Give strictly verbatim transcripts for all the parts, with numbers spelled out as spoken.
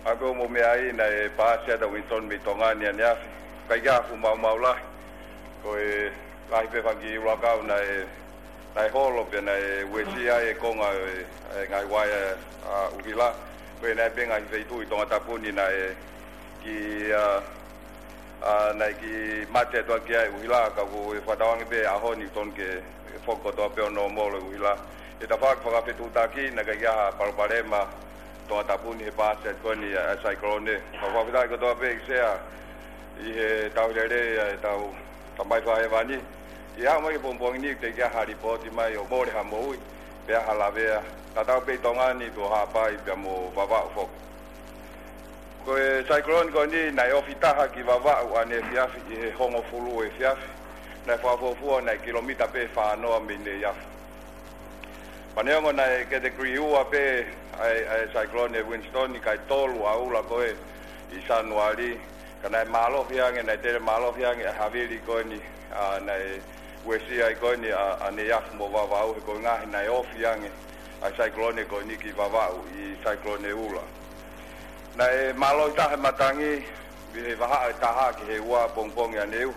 Pea ko e meʻa ia naʻe paasi atu ʻa Winston mei Tonga ni ʻaneafi. ʻIkai ke ʻi ai ha fuʻu maumau lahi. Ko e lahi pē fanga kiʻi ʻulakau naʻe, naʻe holo pea naʻe uesia ai e konga e, e ngaahi uaea ʻa ʻUhila. Ko e naʻe pē ngaahi feituʻu ʻi Tongatapu ni naʻe kiʻi, ʻa, ʻa, naʻe kiʻi mate atu ʻaki ai ʻUhila, ka ko e fakatauange pē ʻaho ni tonu ke foki kotoa pē ʻo nōmolo ʻUhila. ʻI he tafaʻaki fakafetuʻutaki naʻe ʻikai ke ʻi ai ha palopalema Tongatapu ni he paasi atu ko eni ʻa e, ʻa e saikolone. Fakafetaʻi kotoa pē ki he Sea ʻi he tauhi lelei ʻa e tau Tamai Fakahēvani. ʻI he aʻu mai ki he pongipongi ni teʻeki ai ha lipooti mai ʻo mole ha moʻui, pe ha lavea. Tatau pē ʻi Tonga ni pē ʻo Haʻapai pea mo Vavaʻu foki. Ko e saikolone ko eni naʻe ofi taha ki Vavaʻu ʻaneefiafi ʻi he hongofulu efiafi. Naʻe fakafuofua naʻe kilomita pē fā noa mei Neiafu. Pea neongo naʻe category ua pē ʻa e, ʻa e saikolone Winston, kae tolu ʻa e ula ko ē ʻi Sānuali, ka naʻe mālohi ange, naʻe tele mālohi ange ʻa e havili ko eni, ʻa, naʻe uesia ai ko eni ʻa, ʻa Neiafu mo Vavaʻu, he ko e ngaahi naʻe ofi ange ʻa e saikolone ko eni ki Vavaʻu ʻi he saikolone ula. Naʻe mālohi taha e matangi, ʻi he vahaʻa ʻe taha ki he ua pongipongi ʻaneuhu,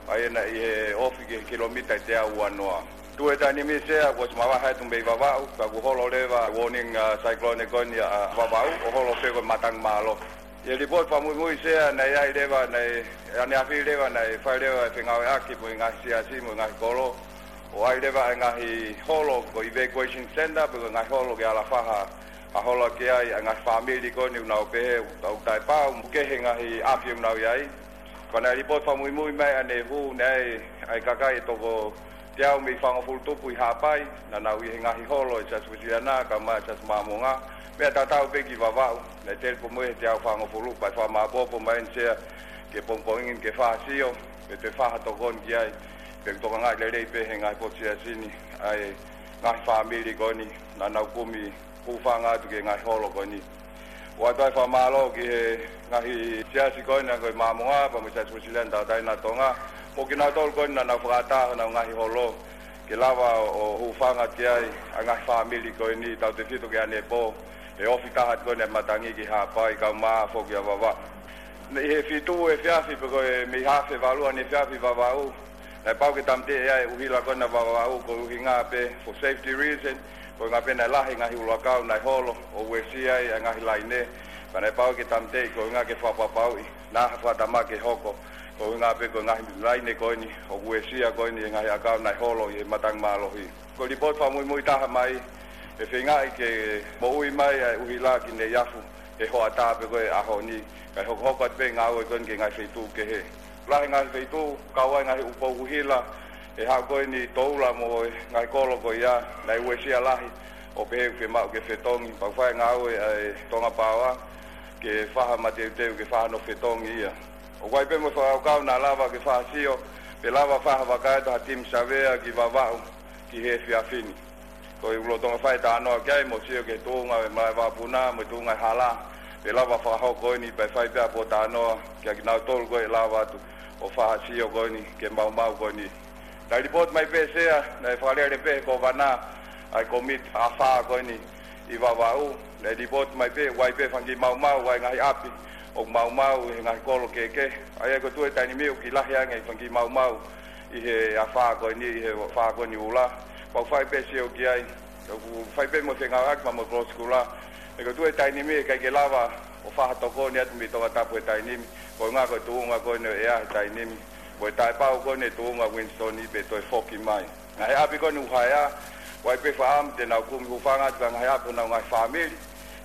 ʻa ia naʻe ʻi he ofi ki he kilomita ʻe teau ua noa. Tuʻu he taimi ni Sea, kuo ʻosi mavahe atu mei Vavaʻu, ka kuo holo leva warning, ʻa, saikolone ko eni ʻa Vavaʻu, ʻo holo pē ko e matangi mālohi. ʻI he lipooti fakamuimui Sea, naʻe ʻi ai leva, naʻe, ʻaneafi leva, naʻe fai leva e fengāueʻaki mo e ngaahi siasi mo e ngaahi kolo, ʻo ʻi ai leva e ngaahi holo ko e evacuation center, pe ko e ngaahi holo ke ala faha ʻa hola ki ai ʻa e ngaahi fāmili ko eni ʻoku nau pehē ʻoku taʻepau mo kehe e ngaahi ʻapi ʻoku nau ʻi ai. Ka naʻe lipooti fakamuimui mai ʻaneuhu naʻe ʻi ai e kakai ʻe toko teau mei he fāngofulu tupu ʻi Haʻapai, naʻa nau ʻi he ngaahi holo ʻa e Siasi Uēsiliana, kae ʻumaʻā e Siasi Māmonga, meʻa tatau pē ki Vavaʻu. Naʻe tele pē mo e teau fāngofulu, pea ʻe fakamāʻopoʻopo mai eni Sea ki he pongipongi ni ke fai ha sio, pe toe fai ha tokoni ki ai, pe ʻoku tokangaʻi lelei pē ʻe he ngaahi potu siasi ni ʻa e ngaahi fāmili ko eni naʻa nau kumi hūfanga atu ki he ngaahi holo ko eni. ʻOatu ai e fakamālō ki he ngaahi siasi ko eni ko e Māmonga, pea mo e Siasi Uēsiliana Tauʻatāina ʻo Tonga, mo kinautolu ko eni naʻa nau fakaʻatā honau ngaahi holo, ke lava ʻo, ʻo hūfanga ki ai ʻa e ngaahi fāmili ko eni, tautautefito ki he ʻanepō, ʻe ofi taha ko eni e matangi ki Haʻapai, kae ʻumaʻā foki ʻa Vavaʻu. Naʻe ʻi he fitu efiafi pe ko e mei he hafe valu ʻaneefiafi Vavaʻu, naʻe pau ke tāmateʻi ai e ʻuhila ko ena Vavaʻu, ko e ʻuhinga pē for safety reason, ko e ʻuhinga pē naʻe lahi e ngaahi ʻulakau naʻe holo ʻo uesia ai e ngaahi laine, ka naʻe pau ke tāmateʻi ko e ʻuhinga ke fakapapauʻi naʻa ha fakatamaki ʻe hoko, ko e ʻuhinga pē ko e ngaahi laine ko eni ʻoku uesia ko eni e ngaahi ʻakau naʻe holo ʻi he matangi mālohi. Ko e lipooti fakamuimui taha mai, ʻe feingaʻi ke moʻui mai ʻa e ʻuhila ki Neiafu he hoʻatā pe ko e ʻaho ni, kae hokohoko atu pē e ngāue ko eni ki he ngaahi feituʻu kehe. Lahi e ngaahi feituʻu, kau ai e ngaahi ʻū pou ʻuhila, ʻe haʻu ko eni Toula mo e ngaahi kolo ko ia, naʻe uesia lahi, ʻo pehē ʻoku fiemaʻu ke fetongi, pea ʻoku fai e ngāue ʻa e Tonga Power ke fai ha mateuteu ke fai hano fetongi ia. ʻOku ʻi ai pē mo e fakakaukau naʻa lava ke fai ha sio, pe lava fai ha vakai atu ha timi savea ki Vavaʻu ki he efiafi ni. Ko e ʻoku lolotonga fai e talanoa ki ai mo sio ki he tuʻunga e malaʻe vakapuna mo e tuʻunga e hala, pe lava fakahoko eni, pea ʻe fai pē ʻa e pōtalanoa kia kinautolu ko ē ʻe lava atu ʻo fai ha sio ko eni ki he maumau ko eni. Naʻe lipooti mai pē Sea, naʻe fakalele pē ʻe he Kōvana ʻa e komiti afā ko eni ʻi Vavaʻu, naʻe lipooti mai pē ʻoku ʻi ai pē fanga kiʻi maumau, ʻi ai e ngaahi ʻapi ʻoku maumau ʻi he ngaahi kolo kehekehe. ʻA ia ko e tuʻu he taimi ni ʻoku kiʻi lahi ange e fanga kiʻi maumau ʻi he afā ko eni, ʻi he afā ko eni ʻula. Pea ʻoku fai pē e sio ki ai, ʻoku fai pē mo e fengāueʻaki pea mo e kolosi kula. He ko e tuʻu he taimi ni ʻe ʻikai ke lava ʻo fai ha tokoni atu mei Tongatapu he taimi ni, ko e ʻuhinga ko e tuʻunga ko eni ʻo e ʻea he taimi ni, ko e taʻepau ko eni e tuʻunga Winston pe toe foki mai. Ngaahi ʻapi ko eni ʻoku haea, ʻoku ʻi ai pē fakaʻamu te nau kumi hūfanga atu ki he ngaahi ʻapi honau ngaahi fāmili,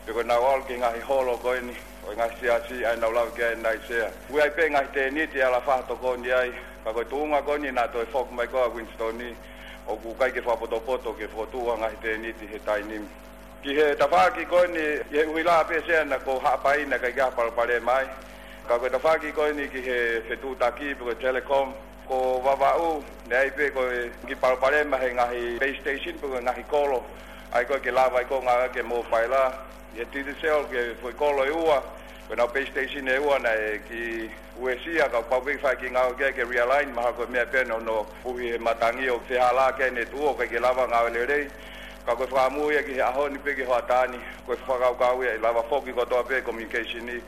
pe ko ʻenau ō ki he ngaahi holo ko eni ʻo e ngaahi siasi ʻa ia naʻa ku lave ki ai ʻanenai Sea. ʻOku ʻi ai pē ngaahi tēniti ʻe ala fai ha tokoni ai, ka ko e tuʻunga ko eni naʻa toe foki mai ko ē ʻa Winston, ʻoku ʻikai ke fakapotopoto ke fokotuʻu ha ngaahi tēniti he taimi ni. Ki he tafaʻaki ko eni, ʻi he ʻuhila pē Sea naʻa ko Haʻapai naʻe ʻikai ke ʻi ai ha palopalema ai. Ka ko e tafaʻaki ko eni ki he fetuʻutaki pe ko e telecom, ko Vavaʻu, naʻe ʻi ai pē ko e kiʻi palopalema he ngaahi base station pe ko e ngaahi kolo ʻa ia ko ē ke lava ai ko ē ʻo ngāueʻaki e mōpaila. ʻI he Digicel ki he foʻi kolo ʻe ua, ko ʻenau base station ʻe ua naʻe kiʻi uesia, ka pau pē ke fai e kiʻi ngāue ki ai ke realign, mahalo ko e meʻa pē eni hono puhi he matangi ʻo fehālaaki ʻene tuʻu ʻo ʻikai ke lava ngāue lelei. Ka ko e fakamuʻa ia ki he ʻaho ni pē ki he hoʻatā ni, ko e fakakaukau ia ʻe lava foki kotoa pē communication ni,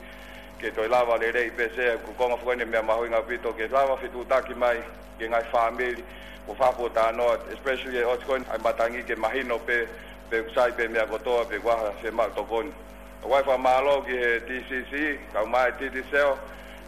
ke toe lava lelei pē Sea, ko e konga foki eni meʻa mahuʻinga ʻaupito, ke lava fetuʻutaki mai ki he ngaahi fāmili, ko e fakaputa noa, especially ʻe ʻosi ko eni ʻa e matangi ke mahino pē, pe ʻoku sai pē meʻa kotoa, pe ʻoku ʻi ai ha fiemaʻu tokoni. ʻOku ou fakamālō ki he T C C, kae ʻumaʻā e T T Cell,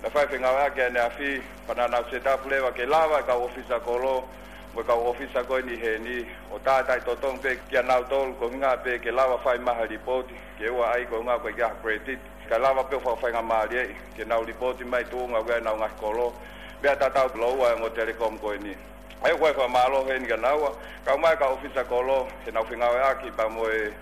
naʻe fai fengāueʻaki ʻaneafi, pea naʻa nau set up leva ke lava e kau ʻōfisa kolo, mo e kau ʻōfisa ko eni heni, ʻo tātai totongi pē kia nautolu, ko e ʻuhinga pē ke lava fai mai ha lipooti, ke ʻoua ʻai ko e ʻuhinga ko e ʻikai ha credit, kae lava pē ʻo fakafaingamālieʻi, ke nau lipooti mai tuʻunga ko ē ʻenau ngaahi kolo, meʻa tatau lōua e ongo telecom ko eni. ʻA ia ʻoku ou fakamālō heni kia naua, kae ʻumaʻā e kau ʻōfisa kolo, heʻenau fengāueʻaki pea mo e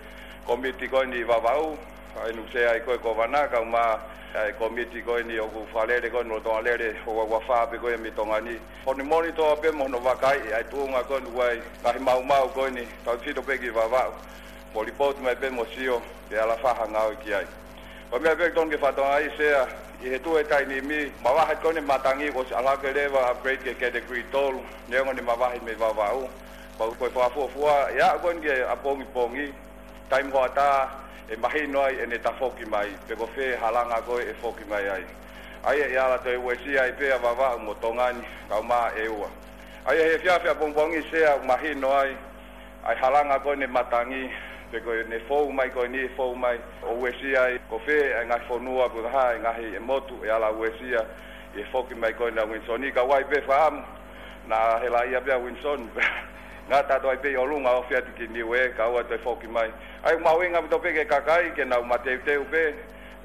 kōmiti ko eni Vavaʻu, ʻa ia naʻe Sea ai ko e Kōvana, kae ʻumaʻā e kōmiti ko eni ʻoku fakalele ko eni lolotonga lele ʻo e ua ua fā pē ko ē mei Tonga ni. Ko hono monitor pē mo hono vakaiʻi ʻa e tuʻunga ko eni ʻoku ʻi ai e ngaahi maumau ko eni, tautefito pē ki Vavaʻu. Mo lipooti mai pē mo sio, pe ʻe ala fai ha ngāue ki ai. Ko e meʻa pē ʻoku totonu ke fakatokangaʻi Sea, ʻi he tuʻu he taimi ni, mavahe ko eni e matangi kuo ʻosi ʻalu hake leva upgrade ki he category tolu, neongo ʻene mavahe mei Vavaʻu. Pea ko e fakafuofua, ʻe aʻu ko eni ki he ʻapongipongi, taimi hoʻatā, ʻe mahino ai ʻene tafoki mai, pe ko fē e halanga ko ē ʻe foki mai ai. ʻA ia ʻe ala toe uesia ai pē ʻa Vavaʻu mo Tonga ni, kae ʻumaʻā ʻEua. ʻA ia he efiafi ʻapongipongi Sea ʻoku mahino ai, ʻa e halanga ko eni e matangi, pe ko ʻene fou mai ko eni, fou mai, ʻo uesia ai, ko fē e ngaahi fonua, pe ko e hā e ngaahi e motu, ʻe ala uesia, ʻi he foki mai ko eni ʻa Winston, ka ʻoku ʻi ai pē fakaʻamu, naʻa helaʻia pē ʻa Winston, ngata atu ai pē ʻi ʻolunga ʻo ofi atu ki Niue, kae ʻoua toe foki mai. ʻA ia ʻoku mahuʻinga ʻaupito pē ki he kakai, ke nau mateuteu pē,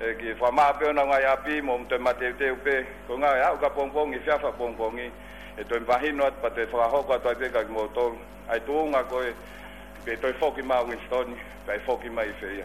ʻe ke fakamaʻa pē honau ngaahi ʻapi mo toe mateuteu pē, ko e ʻuhinga ʻe aʻu ki ʻapongipongi, efiafi ʻapongipongi, ʻe toe mahino atu pea toe fakahoko atu ai pē kia kimoutolu ʻa e tuʻunga ko ē, pe toe foki mai ʻa Winston, pe ʻe foki mai ʻi fē ia.